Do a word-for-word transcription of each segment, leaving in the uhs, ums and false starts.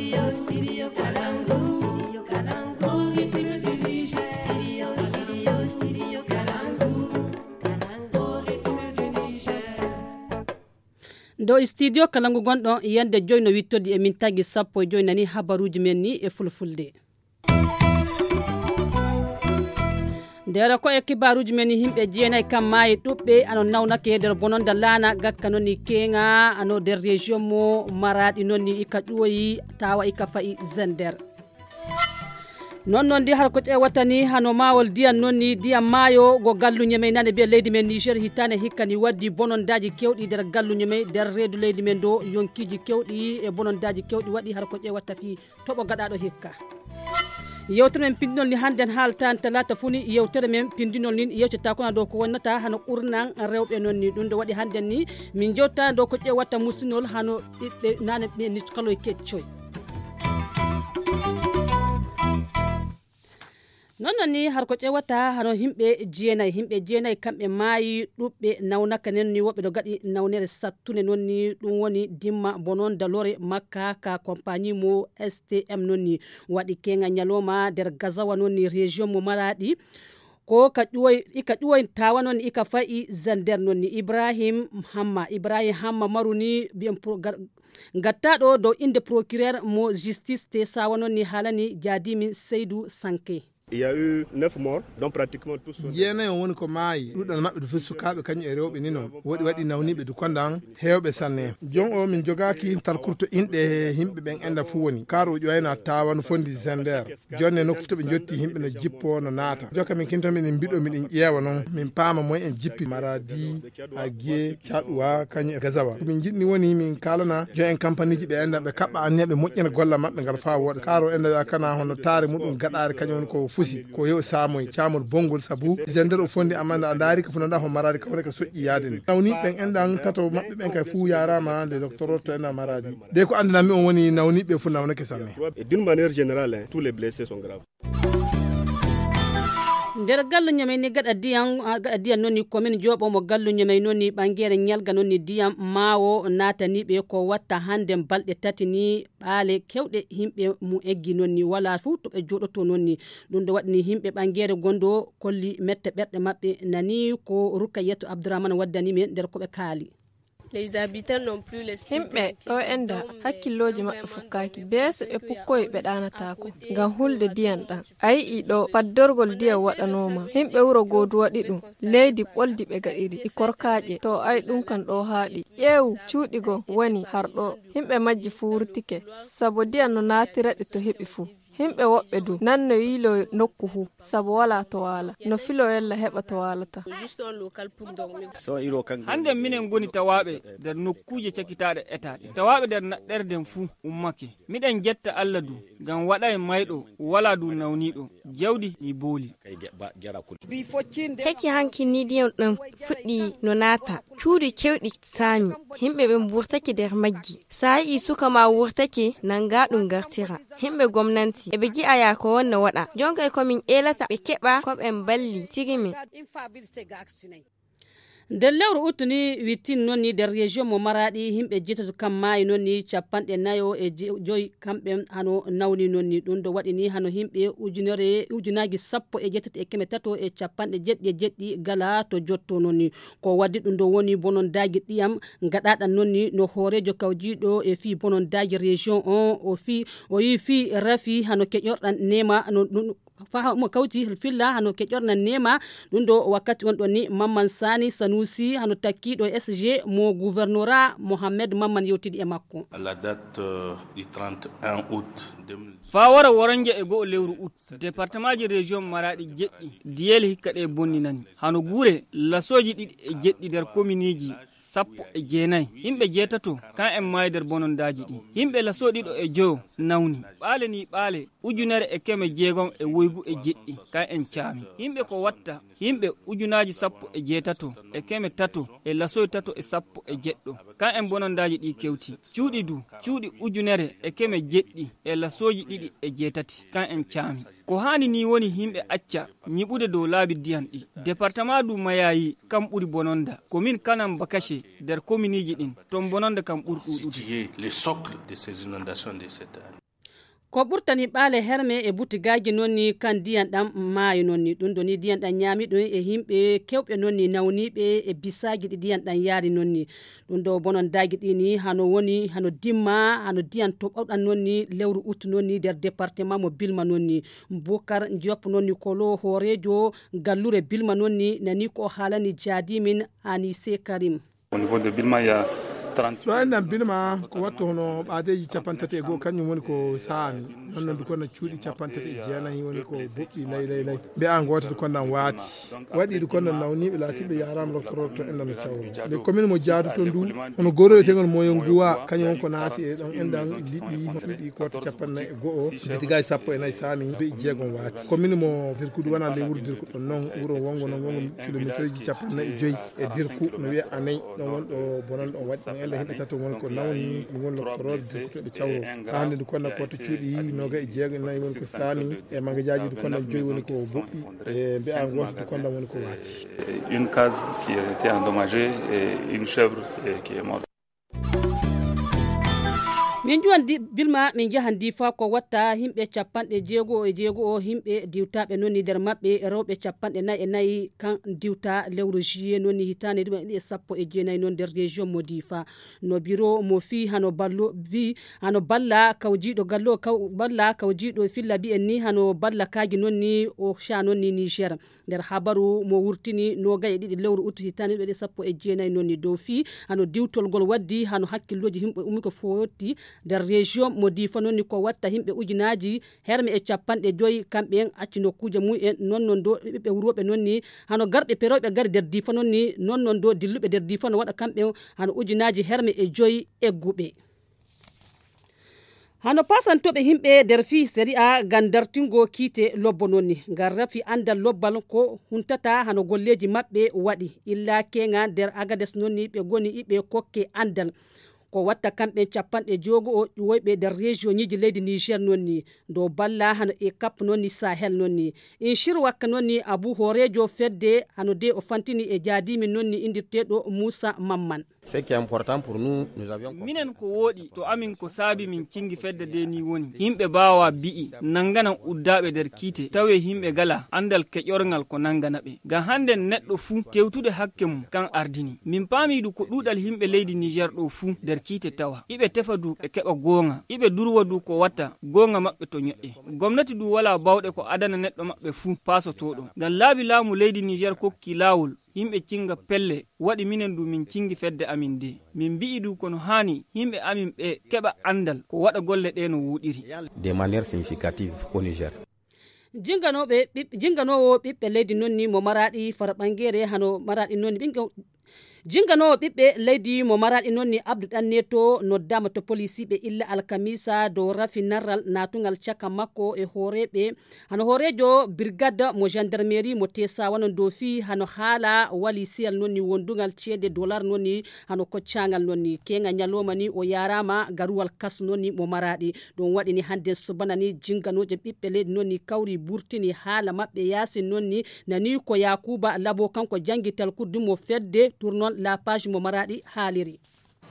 Dow studio kala ngu gonɗon yande joyi no wittodi e min tagi sappo e joyi nani habaruuji men ni e fulfulde. Ndera ko e kibaaruuji men ni, yimɓe jeenay kam maayi ɗuɓɓe ano nawnake nder bononda laana gakka noon ni keŋa ano nder région mo maraɗi noon ni ika ƴuwoyi tawa ika fayi zender. Noon noon ndi har ko ƴeewata ni hano maawol ndiyam noon ni ndiyam maayo go galluñe men nane mbiya leydi men niger hitaane hikka ni waddi bonondaaji kewɗi nder galluñe men nder reedu leydi men ndo yonkiiji kewɗi e bonondaaji kewɗi waɗi har ko ƴeewata fii toɓo gaɗaaɗo hikka. Yewtere men pindinol ni hannden haaltaan talaata fuu ni yewtere men pindinol nin yewtata kona dow ko wonnata hano ɓurnan rewɓe noon ni ɗum ɗo waɗi hannden ni min jewtata dow ko ƴeewata musinol hano ɓiɓɓe nane ɓe ni kaloy keccoy. Noon noon ni har ko ƴeewata hano yimɓe jeenay yimɓe jeenay kamɓe maayi ɗuɓɓe nawnaka nen ni woɓɓe ɗo gaɗi nawnere sattunde noon ni ɗum woni dimma bononda lore makka ka compagnie mo stm noon ni waɗi keŋa ñalowma nder gazawa noon ni région mo maraɗi ko ka ƴuwoy ika ƴuwoy tawa noon ika fayi zender noon ni ibrahim hamma ibrahim hamma maru ni mbiyen gattaɗo dow inde procureur mo justice te sawa noon ni haalani jaadimin seydou sanke. Il y a eu neuf morts, dont pratiquement tous sont des jeenayi on woni ko maayi ɗuɗal maɓɓe du fof sukaaɓe kañum e rewɓe ni noon woɗi waɗi nawniiɓe du kondan heewɓe sanne. Jon o min jogaaki talkurto inɗe he yimɓe ɓen enda fof woni kar o ƴoyna tawa no fondi zender. Jonne nokku fof to ɓe jotti yimɓe no jippo no naata joka min kinto miɗen mbiɗo miɗen ƴeewa noon min paama moy en jippi maradi agiye caɗuwa kañum e gazawa ko min jiɗni woni min kaalana jon en kampaniji ɓe enɗan ɓe kaɓɓa anniya ɓe moƴƴina golla maɓɓe ngal faa wooɗa kaaro enɗa wiya kana hono taare muɗum gaɗaare kañum woni ko fusi ko yew saamoy caamol bonngol sabu zender o fondi amma a ndaari ko fonnoɗa ho maradi ka woni ka soƴƴi yaade ni nawni ɓen enɗan tato maɓɓe ɓen kay fuu yarama le docteur to enɗa maradi de ko anndinanmi on woni nawniɓe fof nawnake sanne. Et d'une manière générale, hein, tous les blessés sont graves. Nder galluño men ni gaɗa diyam gaɗa diyam noon ni komin jooɓo mo galluño men noon ni ɓangere ñalga noon ni diyam maawo naataniɓe ko watta hannde balɗe tati ni ɓaale kewɗe yimɓe mu eggi noon ni wala fuu to ɓe jooɗoto noon ni ɗum ɗo waɗani yimɓe ɓangere gondo kolli mette ɓerɗe maɓɓe nani ko rukayatu abdourahmane waddani men nder ko ɓe kaali. Himɓe ɗo enda hakkillooji maɓɓe fukkaaki beese ɓe pukkoyi ɓe ɗaanataako ngam hulde diyan ɗan a yi'i ɗo paddorgol diyan waɗanooma himɓe wuro goodu waɗi ɗum leydi ɓoldi ɓe gaɗiri e korkaaƴe to ay ɗum kan ɗo haaɗi ƴeewu cuuɗi go woni har ɗo himɓe majji fuu wurtike sabu diyan no naatira ɗi to heɓi fuu. Himɓe woɓɓe du nan no yiilo nokku hu sabu wala to waala no filo yalla heɓa to waalata. Hannden minen ngoni tawaaɓe nder nokkuuje cakitaaɗe etaaɗe tawaaɓe nder naɗɗerden fuu ummake. Miɗen jetta Alla du ngam waɗaay mayɗo wala du nawniiɗo jawdi ni booli. Heki hanki ni ndiyam ɗam fuɗɗi no naata cuuɗi kewɗi saami. Himɓe ɓen wurtake nder majji. Sa yi'i suka ma wurtake nanga ɗum gartira. Himɓe gomnanti eɓe ji'aya ko wonno waɗa jonka e komin eelata ɓe keɓa ko ɓen balli tigi men. Nder lewru uttu ni wittin noon ni nder région mo maraɗi yimɓe jeetato kam maayi noon ni capanɗe nayo e joyi kamɓe hano nawni noon ni ɗum ɗo waɗi ni hano yimɓe ujunere ujunaji sappo e jeetati e keme tato e capanɗe jeɗɗi e jeɗɗi gala to jotto noon ni. Ko waddi ɗum ɗo woni bonondaaji ɗiyam gaɗaɗan noon ni no hooreejo kawjiiɗo e fii bonondaaji région on o fii o yii fii rafi hano keƴorɗan neema no ɗum fa mo kawti filla hano keƴorna neema. Ɗum ɗo wakkati on ɗon ni mamman sani sanusi hano takkiɗo sg mo gouvernora mohammed mamman yewtidi e makko. La date euh, du trente et un août deux mille dix. Faa wara woranja e go'o lewru ut département ji région maraɗi jeɗɗi diyel hikka ɗe bonninani hano guure lasooji ɗiɗi e jeɗɗi nder kominiji sappo e jeenayi. Yimɓe jeetato kan en maayi nder bonondaaji ɗi. Yimɓe lasoo ɗiɗo e joyo nawni. Ɓaale ni ɓaale ujunere e keme jeegom e woygu e jeɗɗi kan en caami. Yimɓe ko watta yimɓe ujunaaji sappo e jeetato e keme tato e lasoo tato e sappo e jeɗɗo kan en bonondaaji ɗi kewti. Cuuɗi du cuuɗi ujunere e keme jeɗɗi e lasooji ɗiɗi e jeetati kan en caami. Ko haani ni woni yimɓe acca ñiɓude dow laabi diyan ɗi. Departement du mayayi kam ɓuri bononda komin kanan bakashe nder kominiiji ɗin ton bononda kam ɓuri ɗuuɗude. Le socle de ces inondations de cette année. Ko ɓurtani ɓaale herme e butigaaji noon ni kan ndiyan ɗan maayi noon ni. Ɗum ɗo ni ndiyan ɗan ñaami ɗum e yimɓe kewɓe noon ni nawniiɓe e bisaaji ɗi ndiyan ɗan yaari noon ni. Ɗum ɗo bonondaaji ɗi ni hano woni, hano dimma, hano ndiyan to ɓawɗan noon ni lewru ut noon ni nder département mo Bilma noon ni. Bukar Diop noon ni kolo hooreejo gallure Bilma noon ni nani ko o haalani jaadi min Anise Karim. Au niveau de Bilma, il y a trente. Ɗo enɗan Bilma ko wattu hono ɓaadeeji capanɗe tati e goo, kañum woni ko saami. Noon noon, ndu konna cuuɗi capanɗe tati e jeenayi woni ko boɓɓi lay lay lay. Mbiya ngoota ndu konna waati. Waɗi ndu konna nawniiɓe laatiiɓe yaaraama lokkorooɓe to enɗan no cawri. Le commune mo jaadu to ndu, hono goro wiyeteengo moyen nguwa, kañum won ko naati e ɗon enɗan liɓi cuuɗi koota capanɗe nayi e goo, bitigaaji sappo e nayi saami, be'i jeegom waati. Commune mo Dirku ndu wona ley wuro Dirku ɗon noon, wuro wongo noon wongo kilomeetreeji capanɗe nayi e joyi e Dirku, no wiya Aney, ɗon won ɗo bonon ɗon waɗi. Ɗon enɗan yimɓe tato woni ko nawni, ɗum woni lokkorooɓe Dirku to ɓe cawro. Haa hannde ndu konna koota cuuɗi noogayi e jeego e nayi woni ko saami, e magajaaji ndu konna joyi woni ko boɓɓi, e mbe'a ngoota ndu konna woni ko waati. Une case qui a été endommagée et une chèvre, eh, qui est morte. Min ƴuwan di- Bilma, min njahan Difa ko watta yimɓe capanɗe jeego e jeego o yimɓe diwtaaɓe noon ni nder maɓɓe rewɓe capanɗe nayi e nayi kan diwta lewru juillet noon ni hitaande ɗiɗi e sappo e jeenayi noon nder région mo Difa. No biro mo fii hano ballo fii hano balla kawjiiɗo gallo kaw balla kawjiiɗo filla mbi'en ni hano balla kaaji noon ni o ca noon ni Niger. Nder habaru mo wurtini noogaye e ɗiɗi lewru ut hitaande ɗiɗi sappo e jeenayi noon ni dow fii hano diwtolgol waddi hano hakkillooji yimɓe ummi ko fotti nder région mo Difa noon ni ko watta yimɓe ujunaaji herme e capanɗe joyi kamɓe en acci nokkuuje mum en noon noon do ɓiɓɓe wurooɓe noon ni hano garɓe perooɓe gari nder Difa noon ni noon noon do dilluɓe nder Difa no waɗa kamɓe en hano ujunaaji herme e joyi egguɓe. Hano paasantooɓe yimɓe nder fii sariya ngam dartingo kiite lobbo noon ni ngam rafi anndal lobbal ko huntata hano golleeji maɓɓe waɗi illa keŋa nder Agades noon ni ɓe ngoni iɓe kokke anndal. Ko watta kamɓe capanɗe jogo o ƴuwoyɓe nder region ñiiji leydi Niger noon ni dow balla hano e kap noon ni Sahel noon ni. In shir wakka noon ni Abu hooreejo fedde hano de o fantini e jaadiimi noon ni indirteeɗo Muusa Mamman. Ce qui est important pour nous, nous avions compris. Minen ko wooɗi to amin ko saabi min cingi fedde de ni woni yimɓe baawa bi'i nannganan uddaaɓe nder kiite tawe yimɓe gala anndal keƴorngal ko nanngana ɓe ngam hannden neɗɗo fuu tewtude hakke mum kan ardini. Min paami du ko ɗuuɗal yimɓe leydi Niger ɗo fuu nder kiite tawa iɓe tefa du ɓe keɓa goonga iɓe durwa du ko watta goonga maɓɓe to ñoƴƴe. Gomnati du walaa bawɗe ko adana neɗɗo maɓɓe fuu paasotooɗo ngam laabi laamu leydi Niger kokki laawol yimɓe cinga pelle waɗi minen du min cingi fedde amin de min mbi'i du kono haani yimɓe amin ɓe keɓa anndal ko waɗa golle ɗe no wooɗiri. De manière significative au Niger. Jinganooɓe ɓiɓ- jinganoowo ɓiɓɓe leydi noon ni mo maraɗi fara ɓangere hano maraɗi noon ni ɓinga jinganoowo ɓiɓɓe leydi mo maraɗi noon ni Abdu Ɗanneto noddaama to polisiiɓe illa alkamisa dow rafi narral natungal caka makko e hooreeɓe hano hooreejo birgade mo gendarmerie mo tesa wanon dow fii hano haala wali siyal noon ni wondungal ceede dolar noon ni hano koccangal noon ni keŋa ñaloma ni o yarama garuwal kas noon ni mo maraɗi. Ɗum waɗi ni hande subana ni jinganooje ɓiɓɓe leydi noon ni kawri burtini haala maɓɓe yaasin noon ni nani ko yakuba labo kanko jangi talkurdi mo fedde tournon la page mo maraɗi haaliri.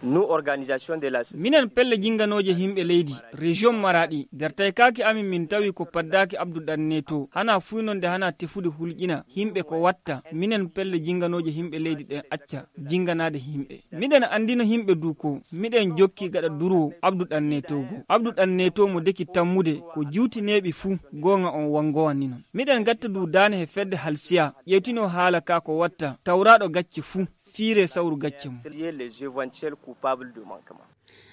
Nous, organisation de la société. Minen pelle jinganooje yimɓe leydi région maraɗi nder taykaaki amin min tawi ko paddaaki abdu ɗanne to hana fuynonde hana tefude hulƴina yimɓe ko watta minen pelle jinganooje yimɓe leydi ɗen acca jinganaade yimɓe. Miɗen anndino yimɓe du ko miɗen jokki gaɗa durwo abdu ɗanne to go abdu ɗanne to mo deki tammude ko juutineeɓi fuu goonga on wangowanni non. Miɗen gatta du daane he fedde halsiya ƴeewtino haala ka ko watta tawraaɗo gacce fuu fiire sawru gacce mum.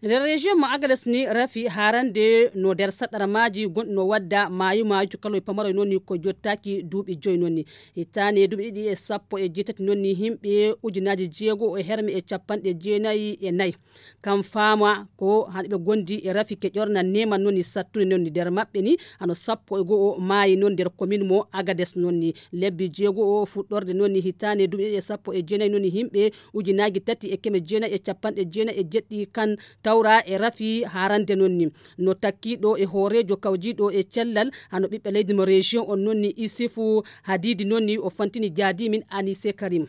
Nder région mo agades ni rafi harande no nder saɗara maaji gonɗi no wadda maayu maayu cukaloy pamaroy noon ni ko jottaaki duuɓi joyi noon ni. Hittaane duuɓi ɗiɗi e sappo e jeetati noon ni yimɓe ujunaaji jeego e herme e capanɗe jeenayi e nayi kam faama ko hano ɓe gondi e rafi keƴorna neman noon ni sattunde noon ni nder maɓɓe ni hano sappo e go'o maayi noon nder komin mo agades noon ni. Lebbi jeego o fuɗɗorde noon ni hitaande duuɓi ɗiɗi e sappo e jeenayi noon ni yimɓe ujunaaji tati e keme jeenayi e capanɗe jeenayi e jeɗɗi kan tawra e rafi harande noon ni. No takkiiɗo e hooreejo kawjiiɗo e cellal hano ɓiɓɓe leydi mo région on noon ni isifu hadiidi noon ni o fantini jaadimin anise karim.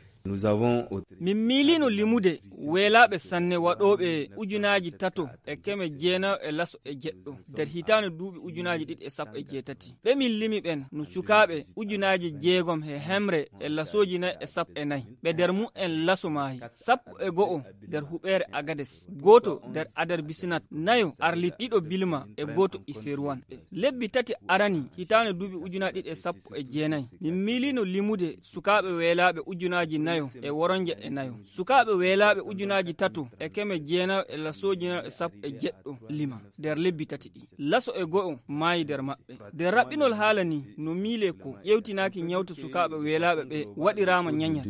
Min miilino limude weelaaɓe sanne waɗooɓe ujunaaji tato e keme jeenayo e laso e jeɗɗo nder hitaande duuɓi ujunaaji ɗiɗi e sappo e jeetati. Ɓe min limi ɓen no cukaaɓe ujunaaji jeegom e hemre e lasooji nayi e sappo e nayi. Ɓe nder mum en laso maayi, sappo e go'o nder huɓeere Agades, gooto nder Adar Bisinat, nayo Arlit, ɗiɗo Bilma e gooto Iferuwan. Lebbi tati arani hitaande duuɓi ujunaaji ɗiɗi e sappo e jeenayi, min miilino limude sukaaɓe weelaaɓe ujunaaji nayo e woronje e nayo. Sukaaɓe weelaaɓe ujunaaji tato e keme jeenayo e lasooji nayo e sappo e jeɗɗo lima nder lebbi tati ɗi. Laso e go'o maayi nder maɓɓe. Nder raɓɓinol haala ni, no miilee ko ƴeewtinaaki ñawta sukaaɓe weelaaɓe ɓe waɗiraama ñañal.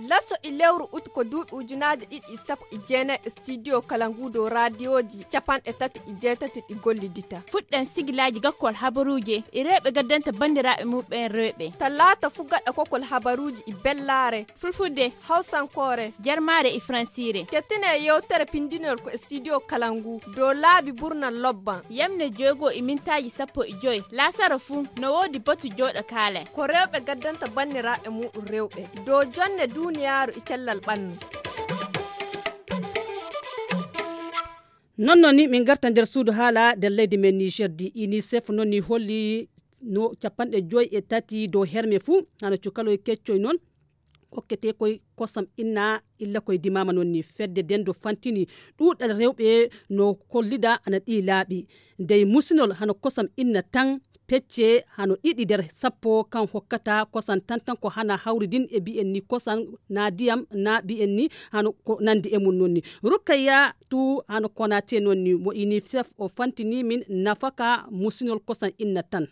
Laso e lewru ut ko duuɓi ujunaaji ɗiɗi e sappo e jeenayi e studio kala ngu dow raadiyooji capanɗe tati e jeetati ɗi gollidita. Fuɗɗen sigilaaji gakkol habaruuje e rewɓe gaddanta banndiraaɓe muɓɓen rewɓe. Talaata fu gaɗa kokol habaruuji e bellaare, fulfulde, hawsankoore, jarmaare e fransiire. Kettine yewtere pindinol ko e studio kala ngu dow laabi burnal lobban. Yamne joygo e mintaaji sappo e joy laasara fu no woodi batu jooɗo kaale. Ko rewɓe gaddanta banndiraaɓe muɗum rewɓe dow jonne duuniyaaru e cellal ɓannu. Non non ni min garta nder suudu haala nder leydi men Niger di. Unicef non ni holli no capanɗe joy e tati dow herme fuu hano cukaloy keccoy non okkete koy kosam inna illa koy dimama non ni fedde dendo fantini ɗuɗal rewɓe no kollida ana ɗi laaɓi dey musinol hano kosam inna tan pecce hano ɗiɗi nder sappo kan hokkata kosan tan tan ko hana hawri din e bi'en ni kosan na diyam na bi'en ni hano ko nandi e mum non ni rukkayya tu hano konate non ni mo unicef o fantini min nafaka musinol kosan inna tan.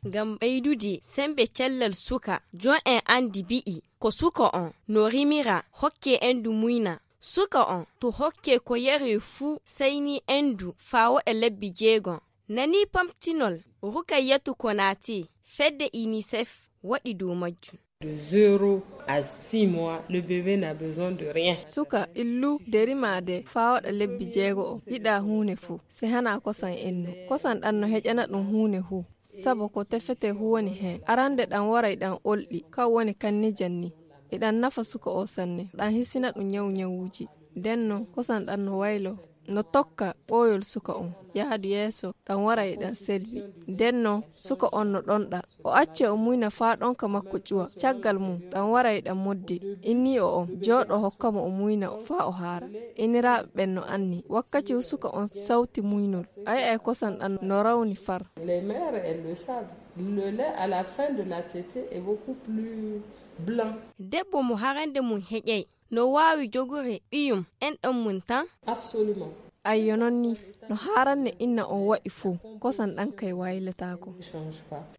Ngam ɓeydude sembe cellal suka, jon en anndi bi'i ko suka on no rimira hokke endu muyna. Suka on to hokke ko yare fuu seyni endu faa woɗa lebbi jeegom. Nanii pamtinol Rukayyatu Konaté fedde unicef waɗi dow majjum. De zéro à six mois, le bébé n'a besoin de rien. Suka illu de rimaade faa waɗa lebbi jeego o yiɗaa huune fuu, si hanaa kosan ennu. Kosan ɗan no heƴana ɗun huune huu, sabu ko tefete huu woni hen. Arande ɗan waray ɗan olɗi, kan woni kannijan ni. Iɗan nafa suka o sanne, ɗan hisina ɗun ñawu ñawuuji. Nden non, kosan ɗan no waylo, no tokka ɓooyol suka on, yaadu yeeso, ɗan wara e ɗan selbi. Nden non, suka on no ɗonɗa. O acce o muyna faa ɗonka makko ƴuwa. Caggal mum, ɗan wara e ɗan moddi. Innii'o on jooɗo hokka mo o muyna faa o haara. Iniraaɓe ɓen no anni, wakkaci suka on sawti muynol, a yi'ay kosan ɗan no rawni far. Les mères, elles le savent. Le lait à la fin de la tétée est beaucoup plus blanc. Debbo mo harande mum heƴay, no waawi jogude ɓiyum enɗan mum tan? Absolument. Ayyo, non ni, no haaranne inna on waɗi fow, kosan ɗan kay waylataako.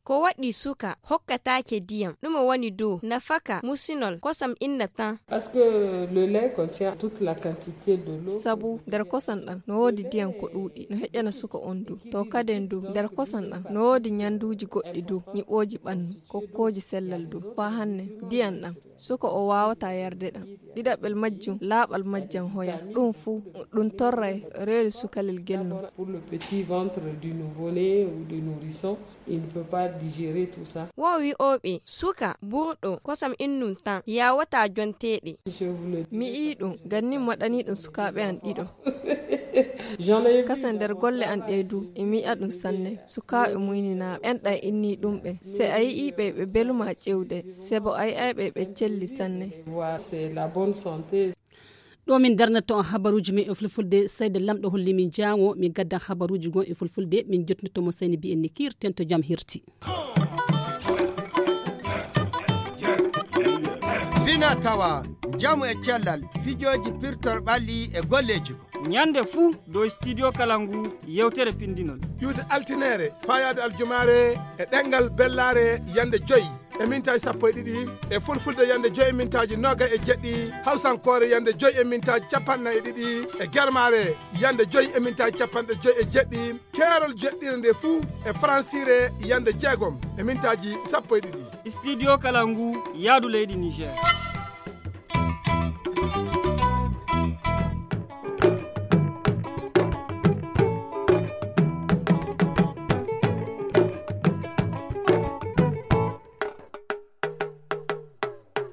Ko waɗi suka hokkataake diyam? Ɗume woni dow nafaka musinol kosam inna tan? Parce que le lait contient toute la quantité de l'eau. Sabu nder kosan ɗan no woodi diyam ko ɗuuɗi, no heƴana suka on du. To kaden du, nder kosan ɗan no woodi ñanduuji goɗɗi du, ñiɓooji ɓannu, kokkooji sellal du. Faa hanne, diyam ɗan suka o waawataa yarde ɗan. Ɗiɗaɓel majjum, laaɓal majjam hoya. Ɗun fuu, ɗun torray reedu sukalel gel non. Pour le petit ventre du nouveau-né ou du nourrisson, il ne peut pas digérer tout ça. Won wi'ooɓe suka burɗo kosam innum tan yaawataa jonteede. Je vous le dis. Mi yi'i ɗun, gannin mi waɗanii ɗun sukaaɓe an ɗiɗo. J'en ai vu. Kasen nder golle an ɗee du, e mi yi'a ɗun sanne. Sukaaɓe muyninaaɓe, enɗan innii ɗun ɓe. Se a yi'ii ɓe, ɓe belumaa ƴewde. Sebo a yi'ay ɓe, ɓe celli sanne. Voilà, c'est la bonne santé. Ɗo min darnata on habaruuji men e fulfulde, seyda Lamɗo holli min jaango, min gaddan habaruuji gon e fulfulde, min jottinto mo seyni mbi'en ni kiirten to jam hirti. Fina tawa, njamu e cellal, fijooji pirtor ɓalli e golleeji ko. Ñande fuu dow studio kala ngu yewtere pindinol. Iwde altineere, faa yaade aljumaare e ɗemngal bellaare yande joy e mintaaji sappo e ɗiɗi, e fulfulde yande joy e mintaaji noogay e jeɗɗi, hawsankoore yande joy e mintaaji capanɗe nayi e ɗiɗi, e germaare yande joy e mintaaji capanɗe joy e jeɗɗi, keerol jeɗɗire nde fuu e faransiire yande jeegom e mintaaji sappo e ɗiɗi. Studio kala ngu yaadu leydi Niger.